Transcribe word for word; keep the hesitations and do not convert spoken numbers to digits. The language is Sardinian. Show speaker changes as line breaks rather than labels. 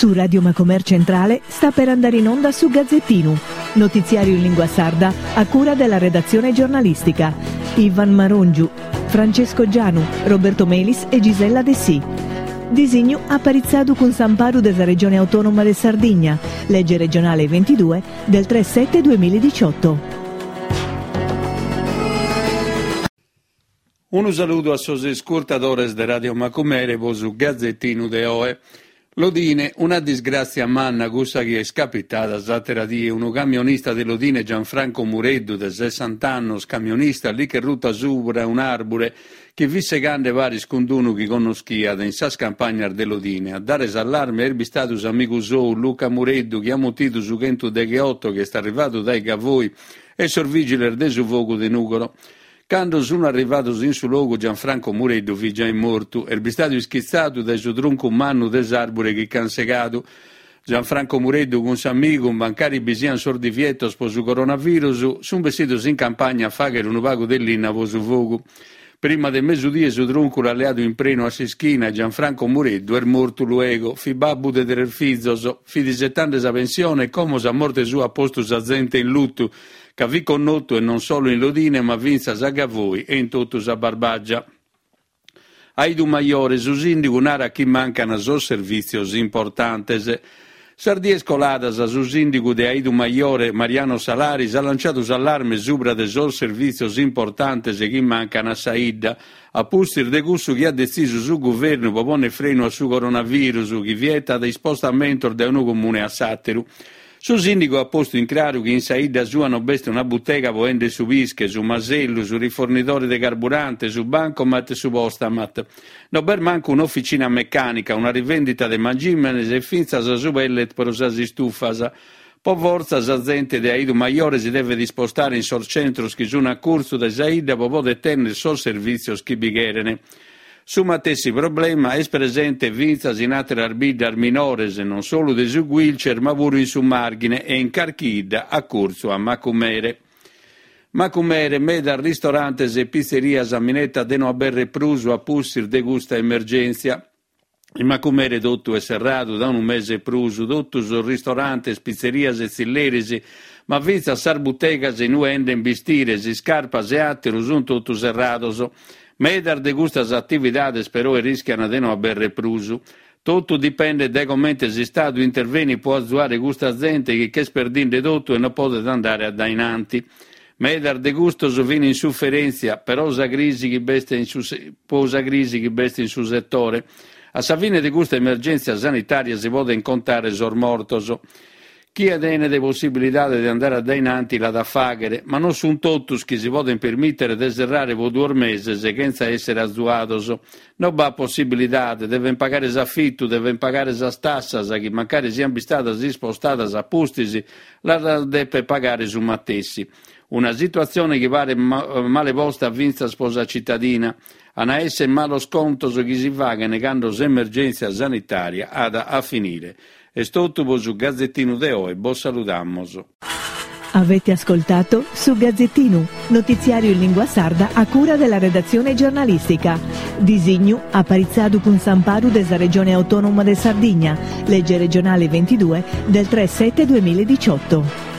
Su Radio Macomer Centrale sta per andare in onda su Gazzettinu, notiziario in lingua sarda a cura della redazione giornalistica. Ivan Marongiu, Francesco Gianu, Roberto Melis e Gisella Dessì. Disignu aparitzadu cun s'amparu de sa Regione Autonoma de Sardigna, legge regionale ventidue del tre sette duemiladiciotto.
Unu saludu a sos iscurtadores de Radio Macumere po su Gazzettinu de oe. Lodine, una disgràtzia manna cussa chi est capitada s'àtera die. Unu camionista de Lodine, Gianfranco Mureddu, de sessanta annos, camionista, li ch'est ruta subra un'àrbure chi fit segande paris cun unu chi connoschiat in sas campagnas de Lodine. A dare s'allarme est bistadu s'amigu sou, Luca Mureddu, chi at mutidu su chentu degheoto chi est arrivadu dae Gavoi e sos vìgiles de su fogu de Nùgoro. Cando sun arrivados in su logu Gianfranco Mureddu fit giai mortu. Est bistadu ischitzadu dae su truncu mannu de s'àrbure chi ch'an segadu. Gianfranco Mureddu cun s'amigu, mancari bi sian sos divietos po su coronavirus, sun bessidos in campagna a fàghere unu pagu de linna po su fogu. Prima de mesudie su truncu l'at leadu in prenu a s'ischina e Gianfranco Mureddu est mortu luego. Fit babbu de tres fizos, fit isetande sa pensione e como sa morte sua at postu sa zente in lutu, ca fit connotu e non solu in Lodine ma fintzas a Gavoi e in totu sa Barbagia. A Aidumajore su sìndigu narat chi mancan sos servìtzios importantes. Sas dies coladas su sìndigu de Aidumajore, Mariano Salaris, at lanciadu s'allarme subra de sos servìtzios importantes chi mancan a sa 'idda, a pustis de cussu chi at detzisu su guvernu pro pònnere frenu a su coronavirus, chi vietat ispostamentos dae unu comune a s'àteru. Su sìndigu at postu in craru chi in sa 'idda sua non b'est una butega pro 'endere su pische, su masellu, su rifornidore de carburante, su bancomat e su postamat. Non b'est mancu un'oficina mecànica, una rivendita de mangìmenes e fintzas su pellet pro sas istufas. Po fortza sa zente de Aidumajore si devet ispostare in sos centros chi sun a curtzu de sa 'idda pro poder tènnere sos servìtzios chi bi cheren. Su matessi problema est presente fintzas in àteras biddas minores, non solu de su Guilcer, ma puru in su Màrghine e in carchi 'idda a curtzu a Macumere. Macumere, medas ristorantes e pizzerias minetat de no aberrer prus a pustis de custa emergèntzia. In Macumere totu est serradu da unu mese e prus, totu sos ristorantes, pizzerias e tzilleris, ma fintzas sas butegas in ue 'enden bistires, iscarpas e àteru sunt totu serrados. Medas de custas atividades però rischian de no aberrer prus. Totu dipendet dae comente s'Istadu intervenit pro azuare custa zente chi ch'est perdinde totu e non podet andare a dainanti. Medas de custos fin in suferèntzia, però sa crisi chi b'est in su po sa crisi chi b'est in su setore. A sa fine de custa emergèntzia sanitària si poden contare sos mortos. Chie tenet possibilidade de andare a dainanti l'at a fàghere, ma non sunt totus chi si podent permìtere de serrare pro duos meses chentza èssere azuados. Non b'at possibilidade, devent pagare s'afitu, devent pagare sas tassas, chi mancari siant bistadas ispostadas a pustis, las depet pagare su matessi. Una situatzione chi paret male posta fintzas pro sa cittadina. An a èssere malos contos chi si faghent cando s'emergèntzia sanitària at a finire. Est totu pro su Gazzettinu de oe, bos saludamos.
Avete ascoltato su Gazzettinu, notiziario in lingua sarda a cura della redazione giornalistica. Disignu aparitzadu cun s'amparu de sa Regione Autonoma de Sardigna, legge regionale ventidue del tre sette duemiladiciotto.